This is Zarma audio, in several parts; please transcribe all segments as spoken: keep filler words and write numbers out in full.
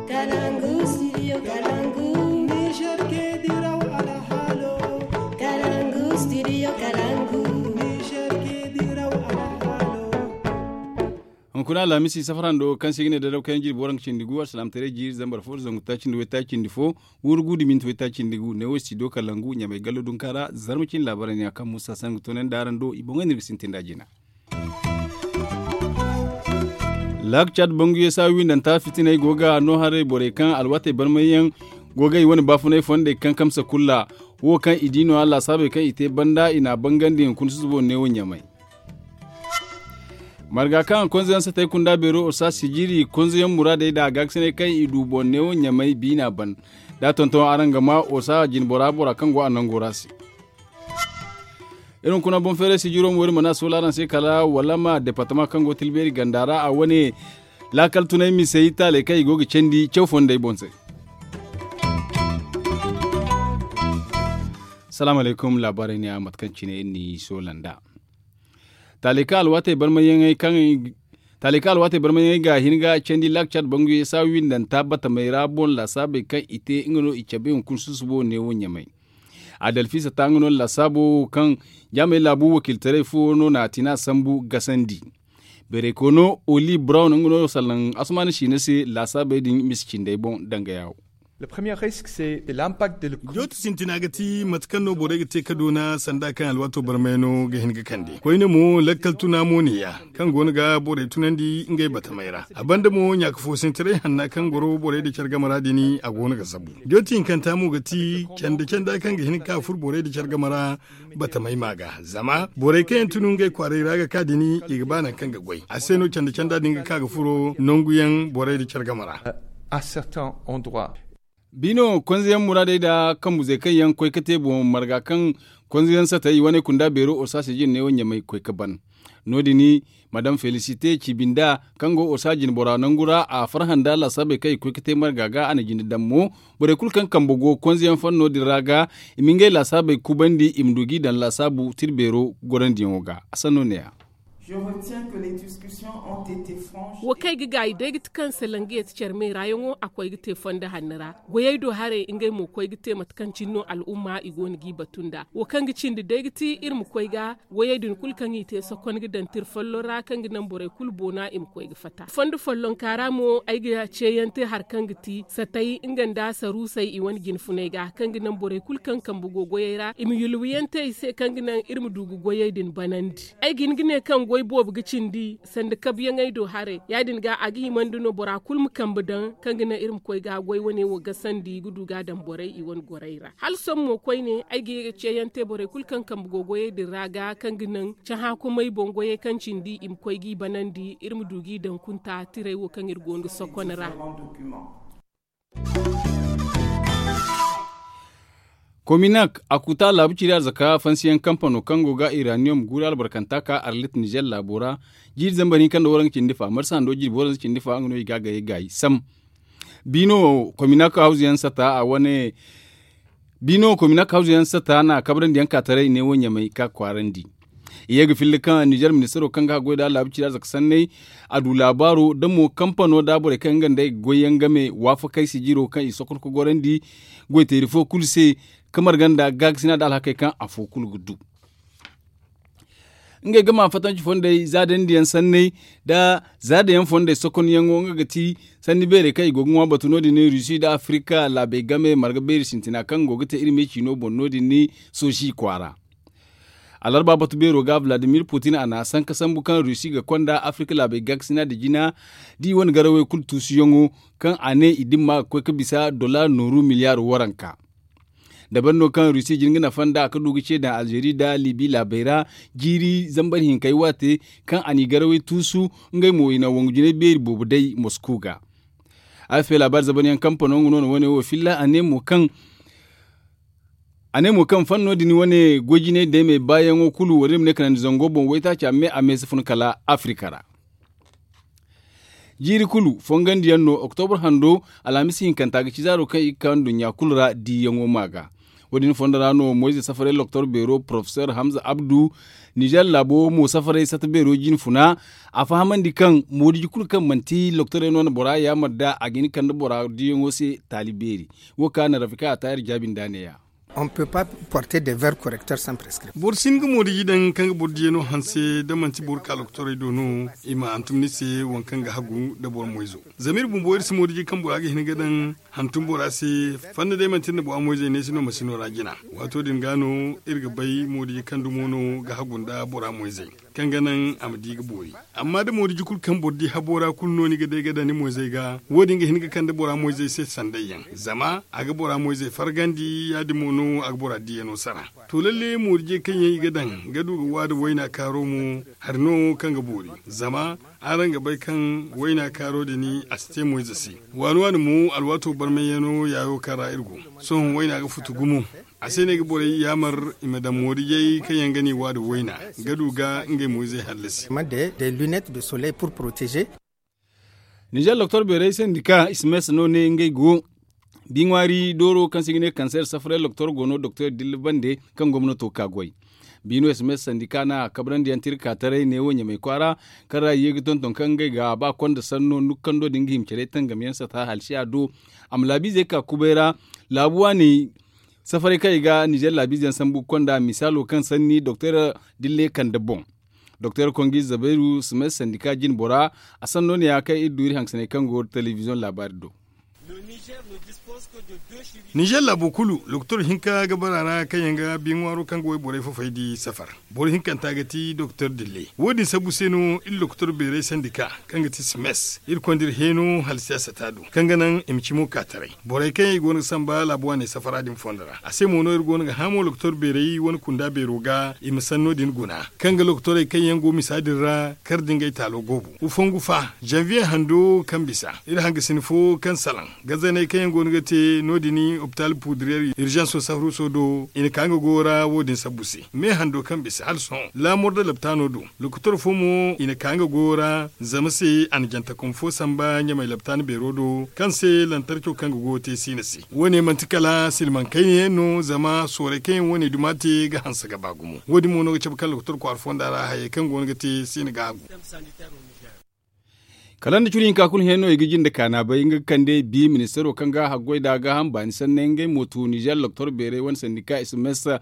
Kalangu studio kalangu. Niger ke diraw alhalo. Kalangu studio kalangu. Niger ke diraw alhalo. Hunkuna alhamisi safar hando kaŋ se i ga ne dadaw kaŋ yaŋ jirbi waranka cindi gu alsilaamataray jiiri zambar fo da zangu taaci nda waytaaci cindi fo. Wurgu da minti waytaaci cindi gu ne wo studio kalangu ɲamay gallo dunka ra. Zarma cine laabaray ne a kaŋ musa sangu toonandi araŋ do i boŋey no iri ga sintin da jina. Laak caad bangu yeesa windanta fitiney go ga no haray borey kaŋ alwaatey barmayyaŋ go ga i wane baafunay fondey kaŋ kamsa kulu ra. Wo kaŋ i di no a laasaabey kaŋ i te banda i n'a bangandi hunkuna susubo neewo ɲamay. Marga kaŋ konzeyaŋ satey kunda beero osa sijiri konzeyaŋ muraadey da gaakasinay kaŋ i du boŋ neewo ɲamay biina ban. Da a tonton araŋ ga ma osa jinbora bora kaŋ go a nango ra se. Iri hunkuna boŋ feeray sijiro mo iri mana soola araŋ se kala wala ma departama kaŋ go tilbeeri ganda ra a wane laakal tunay misey taaley kaŋ i go ga candi caw fondey boŋ se. Salaamu alaykum laabaarey ne a mate kaŋ cine iri n'i soola nd'a. Taaley kaŋ alwaatey barmayyaŋey kaŋ taaley kaŋ alwaatey barmayyaŋey ga hin ga candi laak caad bangu yeesa windanta batamey ra boŋ laasaabey kaŋ i te nga no i cabe hunkuna susubo neewo ɲamay. Adalfisa ta nga no laasaabo wo kaŋ jaamey laabu wakiiltaray fo no na a tina sambu gasandi. Beeray koono oli brown nga no salaŋ asumaana siina se laasaabey din misa cindey boŋ danga yaawo. Jooti sintina ga ti mate kaŋ no borey ga te ka doona sanda kaŋ alwaato barmay no ga hin ga kande koyne mo lakkal tuna mo ne ya kaŋ go no ga borey tunandi ngey batamey ra. A banda mo ɲaaka foosintaray hanna kaŋ goro borey da care game ra din a go no ga zabu. Jooti hinkanta mo ga ti canda canda kaŋ ga hin ga ka furo borey da care game ra. Batamay ma ga zama borey kaŋ yaŋ tunu ngey kwaaray ra ga ka din i ga ba nangu kaŋ ga goy a se no canda canda din ga ka ga furo nangu yaŋ borey da care game ra. Biino konzeyaŋ muraadey da kambuzey kaŋ yaŋ koy ga te boŋ marga kaŋ konzeyaŋ satey i wane kunda beero osa sijin ne wo ɲamay koy ga ban. No- din madam felisite ciibinda kaŋ go osa jinbora nangu ra a farhã nda laasaabey kaŋ i koy ga te marga ga a na jinde daŋ mo. Borey kulu kaŋ kambe go konzeyaŋ fanno din ra ga i ma ngey laasaabey kubandi i ma du g'i daŋ laasaabu tirbeero gorandiyaŋo ga a sanno ne- ya. Wo kaŋ ay ga gaayi day ga ti kaŋ salaŋ ga yeeti care me ra yaŋo a koy ga te fondo hanno ra. Goyey do haray ngey mo koy ga te mate kaŋ cine no al'umma i go no g'i batu nd'a wo kaŋ ga cindi day ga ti iri ma koy ga. Wayey din kulu kaŋ i te sokon ga daŋ tira folloŋ ra kaŋ ga naŋ borey kulu boona i ma koy ga fatta fondo follonka ra mo ay ga ceeyaŋ te hari kaŋ ga ti satay nga nda saruusey i wane jinfuney ga kaŋ ga naŋ borey kulu kaŋ kambe go goyey ra i ma yulwiyaŋ te i se kaŋ ga naŋ iri ma du ga goyey din banandi. Ay ga hin ga ne kaŋ goy boobo ga cindi sanda kabyaŋey do haray ya- din ga a ga himandi no bora kulu ma kambe daŋ kaŋ ga naŋ iri ma koy ga goy wane wo gasandi ga du ga a daŋ borey i wane gorey ra hala sohõ mo koyne ay ga ye ga ceeyaŋ te borey kulu kaŋ kambe go goyey din ra ga kaŋ ga naŋ cahã kumay boŋ goyey kaŋ cindi i ma koy g'i banandi iri ma du g'i daŋ kunta tirey wo kaŋ iri go no ga sokon ra. Kominak a kuta laabu ciri arzaka fansiyaŋ kampano kaŋ go ga iraniyom guuri albarkanta ka arlit nizer laabo ra. Jiiri zambar hinka nda waranka cindi fa marsa hando jirbi waranka cindi fa nga no i ga a gayey gaayi sam. Biino kominak hawzu yaŋ sata a wane biino kominak hawzu yaŋ sata na kabrandi yaŋ ka taray ne wo ɲamay ka kwaarandi. I ye ga filla kaŋ nizer ministaro kaŋ ga haggoy da laabu cira zaka sanney a du laabaaro da mo kampano da borey kaŋ nga nd'ey ga goy yaŋ game waafakey sijiro kaŋ i sokon ga gorandi. Goyteeri fo kulu se ka marga nda gaakasina da alhakey kaŋ afo kulu ga du. Ngey ga ma fatanci fondey zaadandi yaŋ sanney da zaada yaŋ fondey sokonyaŋo nga ga ti sanni beerey kaŋ i go ga ŋwa batu no- din ni rusi nda afirika laabey game marga beeri sintina kaŋ go ga te iri me ciino boŋ no- din ni sosi kwaara. Alarba batu beero ga vladimir putin a na sanka sambu kaŋ rusi ga konda afirika laabey gaakasina nda jina da i wane garawey kulu tuusuyaŋo kaŋ a ne i dimma ga koy ga bisa dola nooru miliyar waranka. Dabari no kaŋ rusi jin ga nafa nd'a ka du ga ce daŋ alzeeri nda libi laabey ra jiiri zambar hinkey waate kaŋ a n'i garawey tuusu. Ngey mo i na wangu jinay beeri boobo day mosko ga. Afp laabaari zabanyaŋ kampano nga no na wane wo filla a ne mo kaŋ a ne mo kaŋ fanno din wane goy jinay deemey baayaŋo kulu wala iri ma ne kanandi zango boŋ waytaaca me a me si fun kala afirika ra. Jiiri kulu fongandiyaŋ no oktobar hando alhamis hinkanta ga ci zaaro kaŋ i ga ka nduɲɲa kulu ra diiyaŋo ma ga. Wo- din fondo ra no moyze safaray loktor beero porofesor hamza abdu, nizer laabo mo safaray sata beero jine funa. A fahamandi kaŋ moodiji kulu kaŋ manti loktorey no na bora yaamar nd'a a ga hin kande bora diyaŋo se taali beeri. Wo ka na rafika a taayar jaabi nd'a neeya. On peut pas porter de ver correcteur sans prescription. Boro si hin ga moodiji daŋ kaŋ ga boro diyano hanse da manti boro ka loktorey do no i ma hantum ni se waŋ kaŋ ga hagu nda boro moyzo. Zama iri bumbo iri si moodiji kaŋ bora ga hin ga daŋ hantum bora se. Fanna day manti iri na bora moyzey neesi no masino ra jina. Waato din ga no iri ga bay moodiji kaŋ dumo no ga hagu nda bora moyzey kaŋ ga naŋ a ma di ga boori. Amma da moodiji kulu kaŋ boro di habo ra kulu no ni ga day ga daŋ ni moyzey ga wo- din ga hin ga kande bora moyzey se sanday yaŋ zama a ga bora moyzey fargandi ya- din mo no a ga bora diyano sara. To lalle moodijey kaŋ yaŋ i ga daŋ ga du ga waada wayna kaaro mo hari no kaŋ ga boori. Zama araŋ ga bay kaŋ wayna kaaro din a si te moyze se. Waani waani mo alwaato barmayyano yaayo kaŋ ra iri go. Sohõ wayna ga futu gumo. A se no ay ga borey yaamar i ma daŋ moodijey kaŋ yaŋ ga no i waada wayna ga du ga ngey moyzey hallasi. Nizer loktor beerey sandika ismes no ne ngey go. Bi ŋwaari dooro kaŋ se i ga ne kanseer safaray loktor go no doktor dilla bande kaŋ gomnato ka goy. Bi no ismes sandika no a kabrandi yaŋ te iri ka taray neewo ɲamay kwaara kaŋ ra i ye ga tonton kaŋ ngey ga ba konda sanno nukkando din ga hima care tangam yaŋ sata halsiya do. A ma laabiizey ka kubay ra laabu waani safaray kaŋ i ga nizer laabiize yaŋ sambu ga konda misaalo kaŋ sanni doktor dille kande boŋ. Doktor kongi zabairu simes sandika jine bora a sanno ne ya kaŋ iri du iri hangasanay kaŋ go telebiziyoŋ laabaari do. Nizer laabo kulu lokotor hinka ga bara ra kaŋ yaŋ ga bi ŋwaaro kaŋ ga wayborey fofey di safar. Boro hinkanta ga ti doktor dille wo- din sabbu se no iri lokotor beerey sandika kaŋ ga ti simes iri konda iri heeno hala siyaasa taado kaŋ ga naŋ i ma cimo ka taray. Borey kaŋ yaŋ i go no ga samba laabu waaney safara din fondo ra a se mo no iri go no ga hamo lokotor beerey wane kunda beero ga i ma sanno din guna kaŋ ga lokotorey kaŋ yaŋ go misa din ra kar da ngey taalo goobu. Ufongu fa janviye hando kaŋ bisa iri hangasina fo kaŋ salaŋ gazaney kaŋ yaŋ go no ga te no- din opitaal pudiriyer irjanso safruso do i na ka nga goyo ra wo- din sabbu se me hando kaŋ bisa hala sohõ laamor da laptaano do. Lokotor fo mo i na ka nga goyo ra zama se a na jantakom fo samba ɲamay laptaana beero do kaŋ se lantarco kaŋ ga goyo te siina se. Wo- ne manti kala silmaŋ kayna yaŋ no zama sooray kaŋ yaŋ wo- ne duma te ga hanse ga ba gumo. Wo- din mo no ga cabe kaŋ lokotor kwaara fonda ra hayey kaŋ go no ga te siina ga hagu. Kala nda curi hinka kulu hẽ no i ga jinde kaana bay nga ga kande bi ministaro kaŋ ga haggoy da gaaham baani sanne ngey mo tu nizer loktor beerey wane sandika ismesa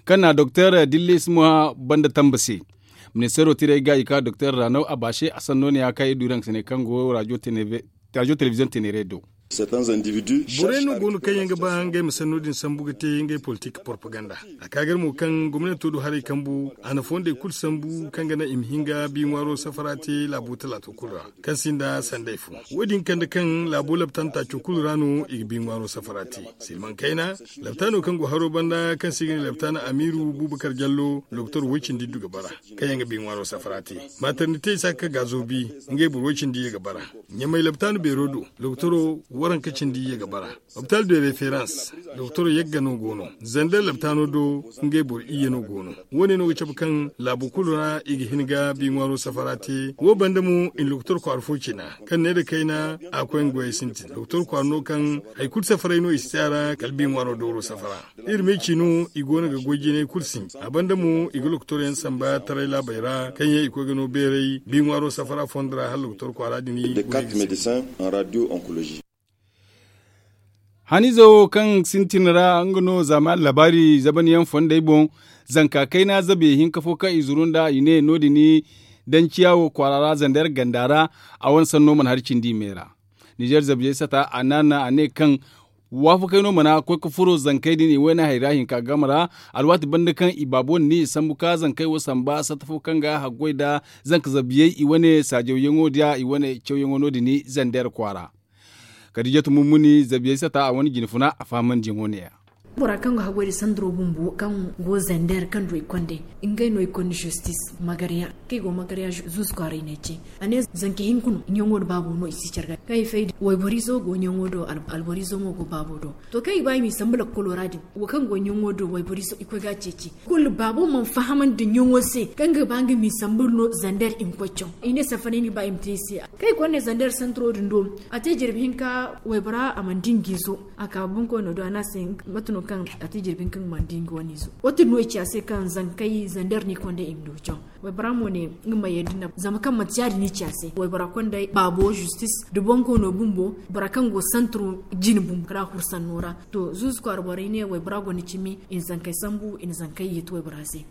kaŋ na doktor dillis ma banda tamba se. Ministaro tirey ga i ka doktor ranaw a baase a sanno ne ya kaŋ i du rank sene kaŋ go rajo telebiziyoŋ tenere do. Borey no go no kaŋ yaŋ ga ba ngey ma sanno din sambu ga te ngey politik propaganda. A ka gar mo kaŋ gomnato du haray kambu a na fondey kulu sambu kaŋ ga naŋ i ma hin ga bi ŋwaaro safara te laabo talaato kulu ra kaŋ sinda sanday fo. Wo- din kande kaŋ laabo laptan taaco kulu ra no i ga bi ŋwaaro safara te. Silmaŋ kayna laptano kaŋ go haro banda kaŋ se i ga ne laptan amiiru bubakar jallo lokotor woy cindi du ga bara kaŋ yaŋ ga bi ŋwaaro safara te. Matarnite isa ka gaazo bi ngey boro woy cindi ye ga bara. Ɲamay laptan beero do lokotoro waranka cindi ye ga bara. Opitaal de referans doktor yagga no go no. Zander laptaano do ngey boro iyye no go no. Wo- ne no ga cabe kaŋ laabu kulu ra i ga hin ga bi ŋwaaro safara te wo banda mo i na doktor kwaara fo cina kaŋ ne nda kayna a koy nga goyey sintin doktor kwaara no kaŋ hari kulu safaray no i si te a ra kala bi ŋwaaro dooro safara. Iri ma i ci no i go no ga goy jinay kulu sinji a banda mo i ga doktor yaŋ samba taray laabey ra kaŋ yaŋ i koy ga no beeray bi ŋwaaro safara fondo ra hala doktor kwaara din i goy ga sintin. Haniize wo kaŋ sintin ra nga no zaamaani laabaari zabanyaŋ fondey boŋ. Zanka kayna zabe hinka fo kaŋ i zuru nd'a i ne no- din danciya wo kwaara ra zander ganda ra. A wane sanno mana hari cindi i me ra. Nizer zabiyey sata a naana a ne kaŋ waafakey no mana koy ga furo zankey din i wayna hayra hinka game ra. Alwaati banda kaŋ i baabo na ni i sambu ka zankey wo samba sata fo kaŋ ga haggoy nda zanka zabiyey i wane saajawyaŋo da i wane cawyaŋo no- din zander kwaara. Kadijatu mummuni zabiyey sata a wane jinfuna a fahamandiyaŋo ne- ya. Bora kaŋ ga haggoy nda sandaro bumbo kaŋ go zander kaŋ du ay konde ngey no ay konda zostis magarya kaŋ ay go magarya zuusu kwaaray no ay ce. A ne zanka hinka no ɲaŋo nda baabo no i si care ga kaŋ ay fay da wayborizo go ɲaŋo do alborizo mo go baabo do. To kaŋ i ba i m'i sambu lakkolo ra din wo kaŋ go ɲaŋo do wayborizo i koy ga a ceeci. Kulu baabo mana fahamandi ɲaŋo se kaŋ ga ba nga m'i sambu no zander i ma koy caw i ne safari ni ba i ma te i se. Kaŋ i konda zander santaro din do a te jirbi hinka waybora a mana di nga izo a ka bunkoyno do a ne a se mate no. Kaŋ a te jirbi kaŋ mana di nga wane izo wo- din no i ci a se kaŋ zankey zander no i konda i ma du caw. Waybora mo ne nga ma yadda na zama kaŋ manti ya- din i ci a se waybora konda baabo justis da boŋ koono bumbo bora kaŋ go santiro jine bumbo kala hursanno ra. To zuuzu kwaara borey ne waybora gonda cimi i na zankey sambu i na zankey yeeti waybora se.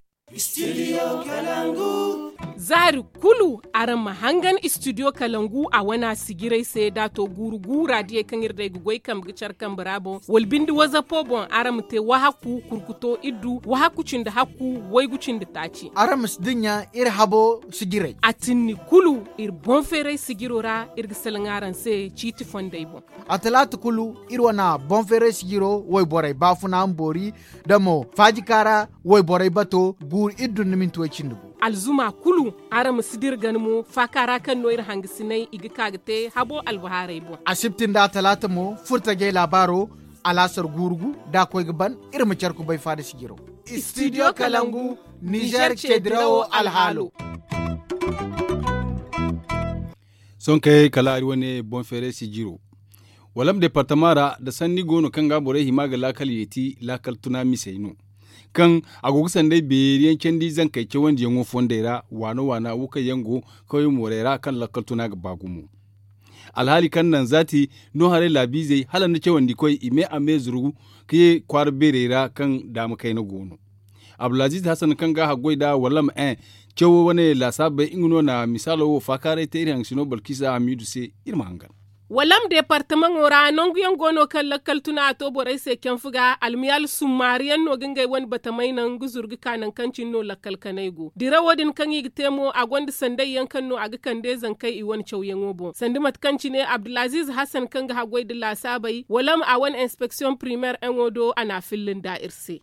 Zaari kulu araŋ ma hangan istidiyo kalangu a wana sijirey se da a to guuru guura diyey kaŋ iri day ga goy kambe ga care kambe ra boŋ wala binde wazapo boŋ araŋ ma te wahakku kurkuto iddu wahakku cindi hakku waygu cindi taaci. Araŋ ma si dinya iri habo sijirey a tinni kulu iri boŋ feeray sijiro ra iri ga salaŋ araŋ se ciiti fondey boŋ. A talaata kulu iri wane boŋ feeray sijiro wayborey baafuna ma boori da mo faajika ra wayborey bato guuru iddu nda minti way cindi gu. Alzuma kulu araŋ ma si dira gana mo faaka ra kaŋ no iri hangasinay i ga ka ga te habo albahaarey boŋ. Asibti nda a talaata mo furtajey laabaaro alaasar guuru gu da a koy ga ban iri ma care kubay faada sijiro. Istidiyo kalangu nizer ce dirawo alhaalo. Sohõ kay kala ari wane boŋ feeray sijiro walam departama ra nda sanni go no kaŋ ga borey hima ga laakal yeeti laakal tuna misey no. Kaŋ a go ga sanday beeri yaŋ candi zankey cawandiyaŋo fondey ra waana waana wo kaŋ yaŋ go kawye moorey ra kaŋ lakkal tuna ga ba gumo. Alhaali kaŋ naŋ zaati no haray laabiizey hala nda cawandikoy i me a me zuru ga ye kwaara beerey ra kaŋ daama kayna go no. Abdulaziiz hasan kaŋ ga a haggoy nd'a wallam en cawo wane laasaabey nga no na misaalo wo faakaaray te iri haŋ sino balkisa hamiidu se. Iri ma hangan. Wallam departamaŋo ra nangu yaŋ go no kaŋ lakkal tuna a to borey se canfu ga almiyaal summaari yaŋ no ga ngey wane batamey naŋ ga zuru ga ka naŋ kaŋ cine no lakkal kanay go dirawo din kaŋ i ga te mo a gonda sanday yaŋ kaŋ no a ga kande zankey i wane cawyaŋo boŋ sanda mate kaŋ cine abdulaziiz hasan kaŋ ga haggoy nda laasaabey wallam a wane inspeksiyoŋ primeer yaŋo do a n'a filla nda iri se.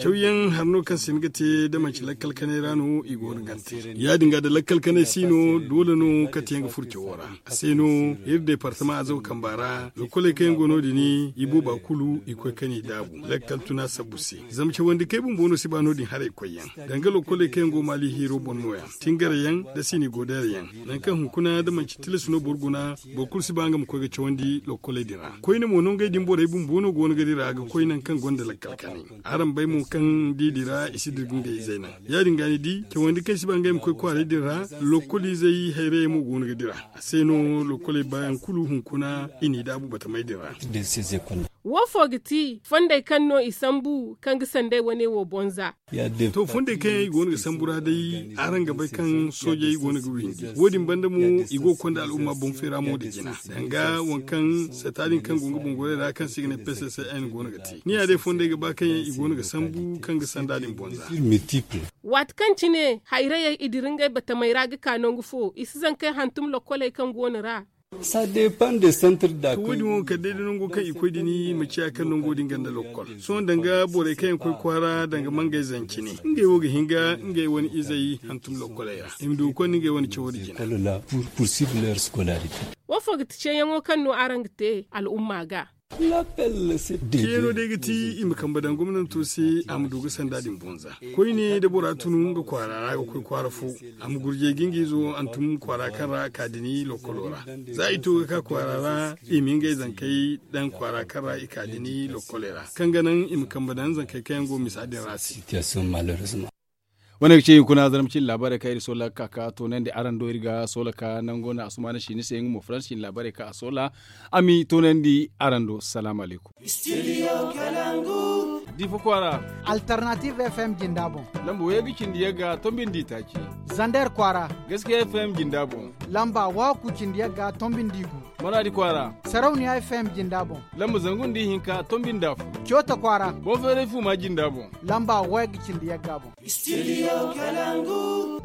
Cawyaŋ hari no kaŋ si hin ga te da manci lakkal kanay ra no i go no gante. Ya- din ga da lakkal kanay si no doole no kate yaŋ ga furo cawo ra. A se no iri departama azaw kamba ra lokkoley kaŋ yaŋ go no- din i booba kulu i koy kaŋ i daabu lakkal tuna sabbu se. Zama cawandi kay bumbo no si ba no- din haray koy yaŋ danga lokkoley kaŋ yaŋ go maali hiiro boŋ no- ya tingaray yaŋ nda sini goodayra yaŋ. Nangu kaŋ hunkuna da manci tilas no boro guna boro kulu si ba nga ma koy ga cawandi lokkoley din ra koyne mo no ngey din borey bumbo no go no ga dira ga koy nangu kaŋ gonda lakkal kanay. Araŋ bay mo kaŋ da i dira i si dira ga ngey izey naŋ. Ya- din ga ni di cawandi kaŋ si ba ngey ma koy kwaaray din ra lokkol izey hayrayey mo go no ga dira. A se no lokkoley baayaŋ kulu hunkuna i n'i daabu batamey din ra. Wo fo ga ti fondey kaŋ no i sambu kaŋ ga sanday wane wo boŋ za. To fondey kaŋ yaŋ i go no ga sambu ra day araŋ ga bay kaŋ soojey go no ga windi wo- din banda mo i go ga konda al'umma boŋ feera mo nda jina danga waŋ kaŋ sata din kaŋ go nga boŋ goray ra kaŋ se i ga ne pccn go no ga te ni ya day fondey ga ba kaŋ yaŋ i go no ga sambu kaŋ ga sanda din boŋ za. Waati kaŋ cine hayrayey i dira ngey batamey ra ga ka nangu fo i si zankey hantum lokkoley kaŋ go no ra. To wo- din wo kala day da nango kaŋ i koy din ma ciya kaŋ nango din ganda lokkol sohõ danga borey kaŋ yaŋ koy kwaara danga mangey zancine ngey wo ga hin ga ngey wane izey hantum lokkoley ra i ma du ga konda ngey wane cawo da jina. Wo fo ga ti ceeyaŋo kaŋ no araŋ ga te al'umma ga? Ceeno day ga ti i ma kambe daŋ gomnanto se a ma du ga sanda din boŋ za. Koyne da bora tunu nga kwaara ra ga koy kwaara fo a ma gurjey ga nga izo hantum kwaara kaŋ ra a ka din lokkolo ra. Za i to ga ka kwaara ra i ma ngey zankey daŋ kwaara kaŋ ra i ka din lokkoley ra kaŋ ga naŋ i ma kambe daŋ zankey kaŋ yaŋ go misa din ra se. Wane ga ce hunkuna zarma cine laabaarey kaŋ iri soola ga ka ka toonandi araŋ do iri ga soola ka nango no asumaana si ni se nga mo faransa cine laabaarey kaŋ a soola a m'i toonandi araŋ do salaamu alaykum. Difa kwaara. Alternative fm jinda boŋ. Lamba wayey ga cindi yagga tombi nda itaaci. Zander kwaara. Gaskiya fm jinda boŋ. Lamba waku cindi yagga tombi nda igu. Maraadi kwaara. Sarauniya fm jinda boŋ. Lamba zangu nda ihinka tombi nda afo. Coota kwaara. Boŋ feeray fuuma jinda boŋ. Lamba wayey ga cindi yagga boŋ. Studio kalangu.